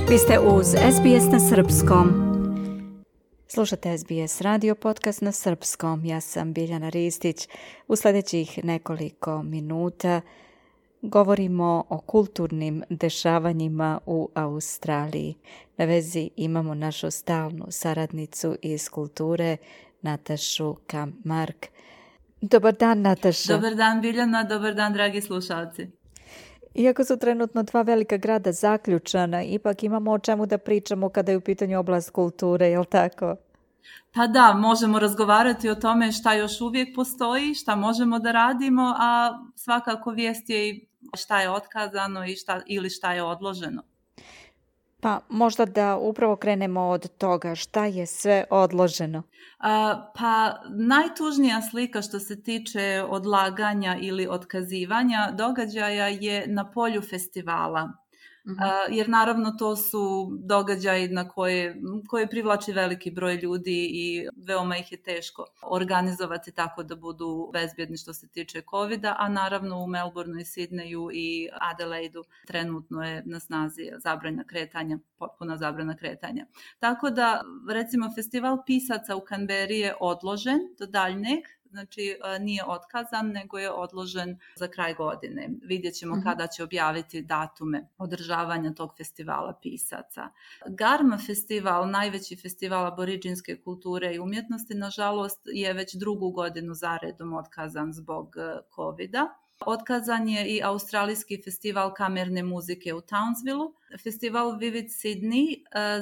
Vi ste uz SBS na srpskom. Slušate SBS radio podcast na srpskom. Ja sam Biljana Ristić. U sljedećih nekoliko minuta govorimo o kulturnim dešavanjima u Australiji. Na vezi imamo našu stalnu saradnicu iz kulture, Natašu Kamp-Mark. Dobar dan, Nataša. Dobar dan, Biljana. Dobar dan, dragi slušalci. Iako su trenutno dva velika grada zaključana, ipak imamo o čemu da pričamo kada je u pitanju oblast kulture, je li tako? Pa da, možemo razgovarati o tome šta još uvijek postoji, šta možemo da radimo, a svakako vijest je i šta je otkazano ili šta je odloženo. Pa možda da upravo krenemo od toga šta je sve odloženo. Pa najtužnija slika što se tiče odlaganja ili otkazivanja događaja je na polju festivala. Jer naravno to su događaji na koje privlači veliki broj ljudi i veoma ih je teško organizovati tako da budu bezbjedni što se tiče COVID-a, a naravno u Melbourneu i Sydneyu i Adelaidu trenutno je na snazi zabrana kretanja, potpuna zabrana kretanja. Tako da recimo festival pisaca u Canberri je odložen do daljnjeg. Znači nije otkazan, nego je odložen za kraj godine. Vidjet ćemo kada će objaviti datume održavanja tog festivala pisaca. Garma festival, najveći festival aboriđinske kulture i umjetnosti, nažalost je već drugu godinu zaredom otkazan zbog COVID-a. Otkazan je i australijski festival kamerne muzike u Townsvilleu. Festival Vivid Sydney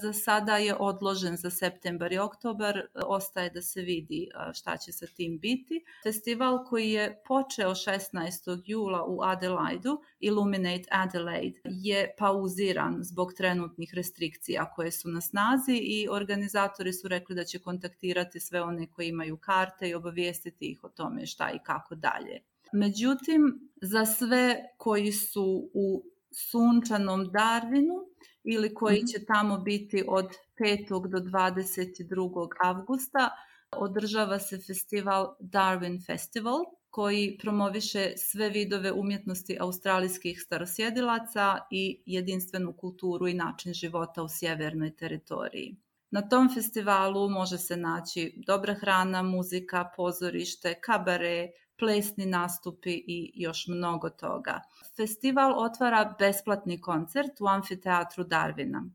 za sada je odložen za septembar i oktobar. Ostaje da se vidi šta će sa tim biti. Festival koji je počeo 16. jula u Adelaidu, Illuminate Adelaide, je pauziran zbog trenutnih restrikcija koje su na snazi i organizatori su rekli da će kontaktirati sve one koji imaju karte i obavijestiti ih o tome šta i kako dalje. Međutim, za sve koji su u sunčanom Darwinu ili koji će tamo biti od 5. do 22. avgusta, održava se festival Darwin Festival, koji promoviše sve vidove umjetnosti australijskih starosjedilaca i jedinstvenu kulturu i način života u sjevernoj teritoriji. Na tom festivalu može se naći dobra hrana, muzika, pozorište, kabare, plesni nastupi i još mnogo toga. Festival otvara besplatni koncert u amfiteatru Darwina.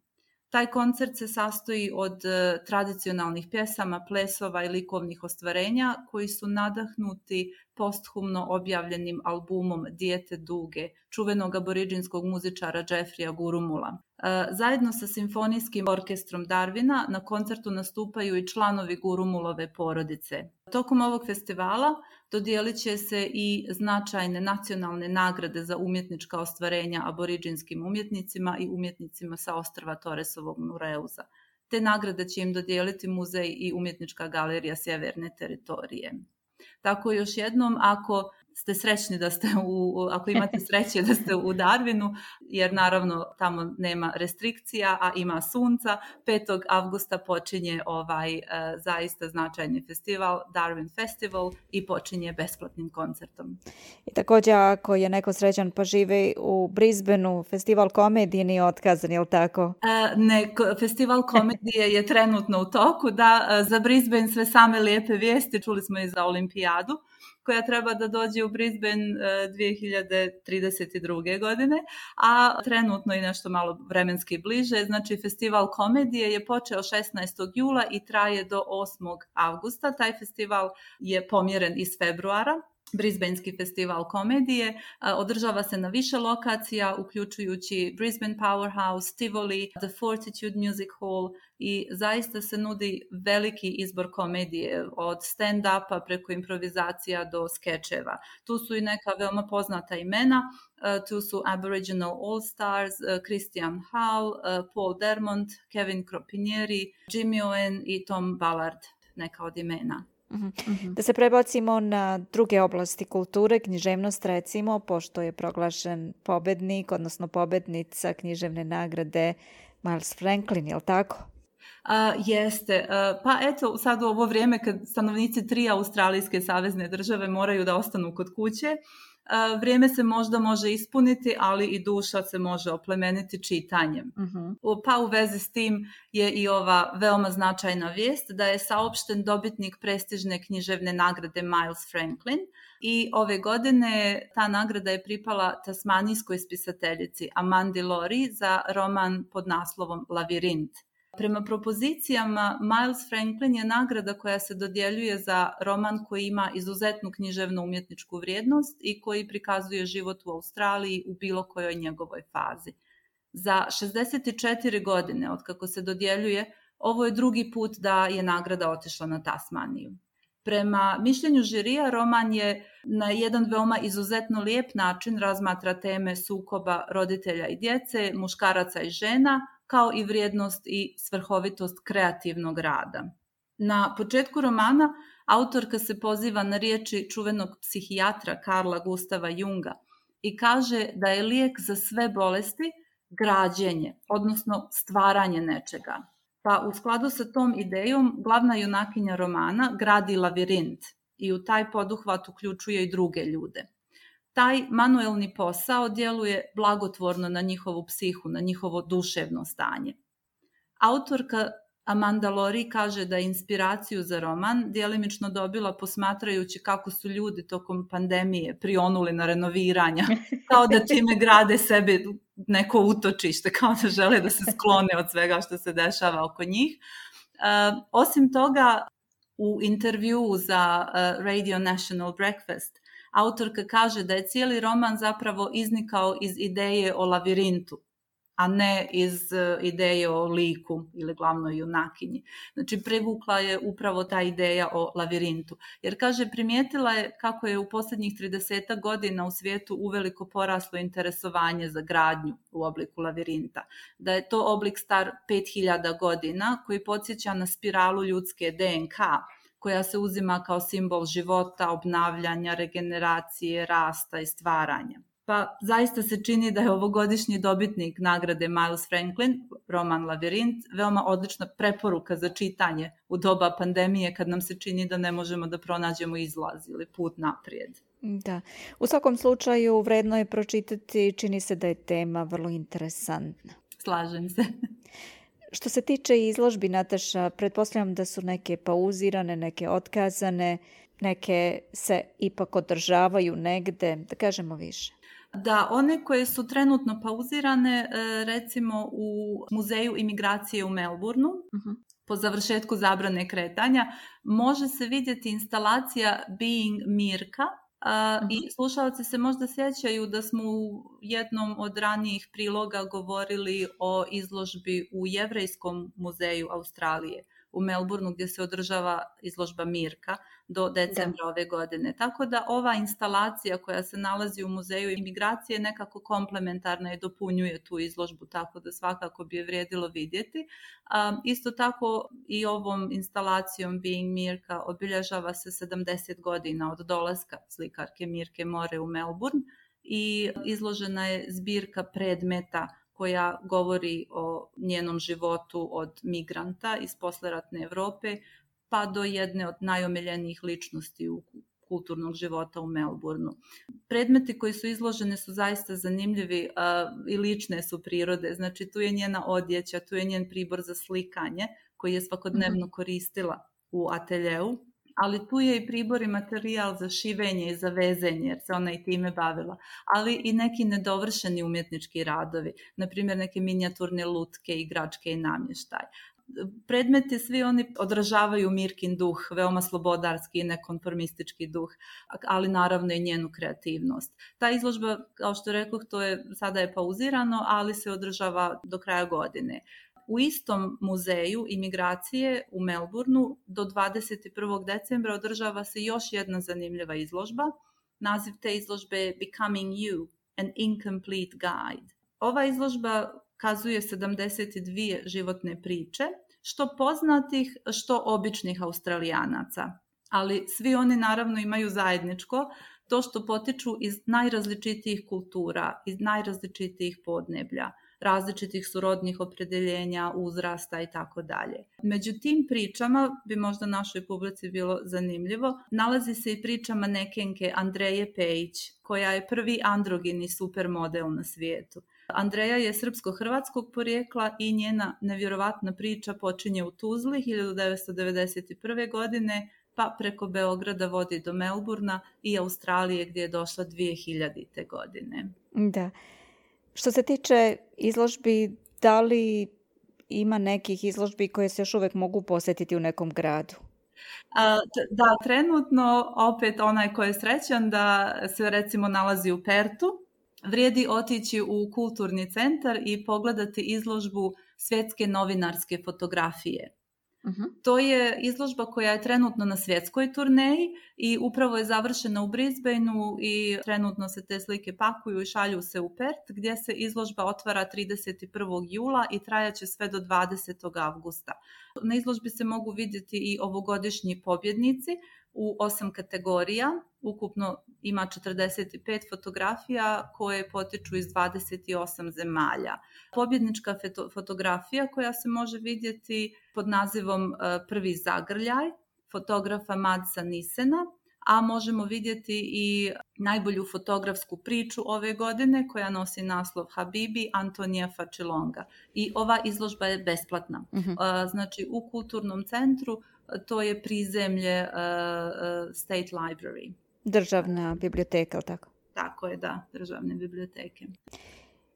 Taj koncert se sastoji od tradicionalnih pjesama, plesova i likovnih ostvarenja koji su nadahnuti posthumno objavljenim albumom Dijete duge, čuvenog aboriđinskog muzičara Jeffreya Gurumula. Zajedno sa simfonijskim orkestrom Darwina na koncertu nastupaju i članovi Gurumulove porodice. Tokom ovog festivala dodijelit će se i značajne nacionalne nagrade za umjetnička ostvarenja aboriđinskim umjetnicima i umjetnicima sa ostrva Torresovog Nureuza. Te nagrade će im dodijeliti muzej i umjetnička galerija sjeverne teritorije. Tako još jednom, ako ste srećni ako imate sreće da ste u Darwinu, jer naravno tamo nema restrikcija, a ima sunca, 5. avgusta počinje ovaj zaista značajni festival, Darwin Festival, i počinje besplatnim koncertom. I također, ako je neko srećan pa živi u Brisbaneu, festival komedije nije otkazan, je li tako? Festival komedije je trenutno u toku, da, za Brisbane sve same lijepe vijesti, čuli smo i za olimpijadu, koja treba da dođe u Brisbane 2032. godine, a trenutno i nešto malo vremenski bliže. Znači, festival komedije je počeo 16. jula i traje do 8. avgusta. Taj festival je pomjeren iz februara. Brisbanski festival komedije održava se na više lokacija, uključujući Brisbane Powerhouse, Tivoli, The Fortitude Music Hall, i zaista se nudi veliki izbor komedije, od stand-upa preko improvizacija do skečeva. Tu su i neka veoma poznata imena, tu su Aboriginal All Stars, Christian Hall, Paul Dermont, Kevin Cropinieri, Jimmy Owen i Tom Ballard, neka od imena. Da se prebacimo na druge oblasti kulture, književnost recimo, pošto je proglašen pobednik, odnosno pobednica književne nagrade Miles Franklin, je li tako? Jeste. Pa eto, sad u ovo vrijeme kad stanovnici 3 australijske savezne države moraju da ostanu kod kuće, vrijeme se možda može ispuniti, ali i duša se može oplemeniti čitanjem. Pa u vezi s tim je i ova veoma značajna vijest da je saopšten dobitnik prestižne književne nagrade Miles Franklin i ove godine ta nagrada je pripala tasmanijskoj spisateljici Amandi Lori za roman pod naslovom Lavirint. Prema propozicijama, Miles Franklin je nagrada koja se dodjeljuje za roman koji ima izuzetnu književnu umjetničku vrijednost i koji prikazuje život u Australiji u bilo kojoj njegovoj fazi. Za 64 godine od kako se dodjeljuje, ovo je drugi put da je nagrada otišla na Tasmaniju. Prema mišljenju žirija, roman je na jedan veoma izuzetno lijep način razmatra teme sukoba roditelja i djece, muškaraca i žena, kao i vrijednost i svrhovitost kreativnog rada. Na početku romana autorka se poziva na riječi čuvenog psihijatra Carla Gustava Junga i kaže da je lijek za sve bolesti građenje, odnosno stvaranje nečega. Pa u skladu sa tom idejom glavna junakinja romana gradi lavirint i u taj poduhvat uključuje i druge ljude. Taj manuelni posao djeluje blagotvorno na njihovu psihu, na njihovo duševno stanje. Autorka Amanda Lori kaže da je inspiraciju za roman djelimično dobila posmatrajući kako su ljudi tokom pandemije prionuli na renoviranja, kao da time grade sebe neko utočište, kao da žele da se sklone od svega što se dešava oko njih. Osim toga, u intervjuu za Radio National Breakfast, autorka kaže da je cijeli roman zapravo iznikao iz ideje o lavirintu, a ne iz ideje o liku ili glavnoj junakinji. Znači, privukla je upravo ta ideja o lavirintu. Jer, kaže, primijetila je kako je u posljednjih 30 godina u svijetu uveliko poraslo interesovanje za gradnju u obliku lavirinta. Da je to oblik star 5000 godina koji podsjeća na spiralu ljudske DNK, koja se uzima kao simbol života, obnavljanja, regeneracije, rasta i stvaranja. Pa zaista se čini da je ovogodišnji dobitnik nagrade Miles Franklin, roman Lavirint, veoma odlična preporuka za čitanje u doba pandemije kad nam se čini da ne možemo da pronađemo izlaz ili put naprijed. Da, u svakom slučaju vredno je pročitati, čini se da je tema vrlo interesantna. Slažem se. Što se tiče izložbi, Nataša, pretpostavljam da su neke pauzirane, neke otkazane, neke se ipak održavaju negde, da kažemo više. Da, one koje su trenutno pauzirane, recimo u Muzeju imigracije u Melbourneu, po završetku zabrane kretanja, može se vidjeti instalacija Being Mirka, i slušalci se možda sjećaju da smo u jednom od ranijih priloga govorili o izložbi u Jevrejskom muzeju Australije u Melbourneu gdje se održava izložba Mirka do decembra ove godine. Tako da ova instalacija koja se nalazi u Muzeju imigracije nekako komplementarna i dopunjuje tu izložbu, tako da svakako bi je vrijedilo vidjeti. Isto tako i ovom instalacijom Being Mirka obilježava se 70 godina od dolaska slikarke Mirke More u Melbourne i izložena je zbirka predmeta koja govori o njenom životu od migranta iz posleratne Europe pa do jedne od najomiljenijih ličnosti u kulturnog života u Melbourneu. Predmeti koji su izloženi su zaista zanimljivi i lične su prirode. Znači, tu je njena odjeća, tu je njen pribor za slikanje koji je svakodnevno koristila u ateljeu, ali tu je i pribor i materijal za šivenje i za vezenje, jer se ona i time bavila, ali i neki nedovršeni umjetnički radovi, na primjer neke minijaturne lutke, igračke i namještaj. Predmeti svi oni odražavaju Mirkin duh, veoma slobodarski i nekonformistički duh, ali naravno i njenu kreativnost. Ta izložba, kao što rekoh, sada je pauzirano, ali se održava do kraja godine. U istom muzeju imigracije u Melbourneu do 21. decembra održava se još jedna zanimljiva izložba. Naziv te izložbe je Becoming You, an Incomplete Guide. Ova izložba kazuje 72 životne priče, što poznatih, što običnih Australijanaca. Ali svi oni naravno imaju zajedničko to što potiču iz najrazličitijih kultura, iz najrazličitijih podneblja. različitih su rodnih opredjeljenja, uzrasta i tako dalje. Među tim pričama, bi možda našoj publici bilo zanimljivo, nalazi se i priča manekenke Andreje Pejić, koja je prvi androgeni supermodel na svijetu. Andreja je srpsko-hrvatskog porijekla i njena nevjerovatna priča počinje u Tuzli 1991. godine, pa preko Beograda vodi do Melburna i Australije gdje je došla 2000. godine. Da. Što se tiče izložbi, da li ima nekih izložbi koje se još uvijek mogu posjetiti u nekom gradu? Da, trenutno opet onaj ko je srećan da se recimo nalazi u Pertu, vrijedi otići u kulturni centar i pogledati izložbu svjetske novinarske fotografije. To je izložba koja je trenutno na svjetskoj turneji i upravo je završena u Brisbaneu i trenutno se te slike pakuju i šalju se u Pert, gdje se izložba otvara 31. jula i trajaće sve do 20. avgusta. Na izložbi se mogu vidjeti i ovogodišnji pobjednici u 8 kategorija. Ukupno ima 45 fotografija koje potiču iz 28 zemalja. Pobjednička fotografija koja se može vidjeti pod nazivom Prvi zagrljaj, fotografa Madsa Nisena, a možemo vidjeti i najbolju fotografsku priču ove godine koja nosi naslov Habibi Antonija Facilonga. I ova izložba je besplatna. Znači u kulturnom centru to je prizemlje State Library. Državna biblioteka, tako? Tako je, da, državne biblioteke.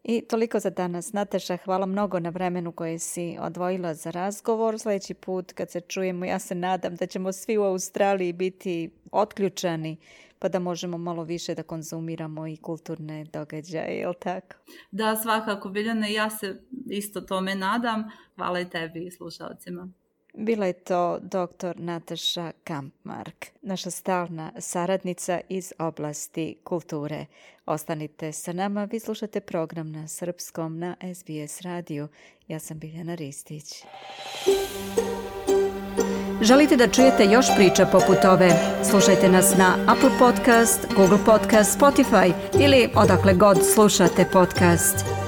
I toliko za danas. Nataša, hvala mnogo na vremenu koje si odvojila za razgovor. Sljedeći put kad se čujemo, ja se nadam da ćemo svi u Australiji biti otključani pa da možemo malo više da konzumiramo i kulturne događaje, je li tako? Da, svakako, Biljane, ja se isto tome nadam. Hvala i tebi i slušalcima. Bila je to dr. Nataša Kampmark, naša stalna saradnica iz oblasti kulture. Ostanite sa nama, vi slušate program na srpskom na SBS radiju. Ja sam Biljana Ristić. Želite da čujete još priča poput ove? Slušajte nas na Apple Podcast, Google Podcast, Spotify ili odakle god slušate podcast.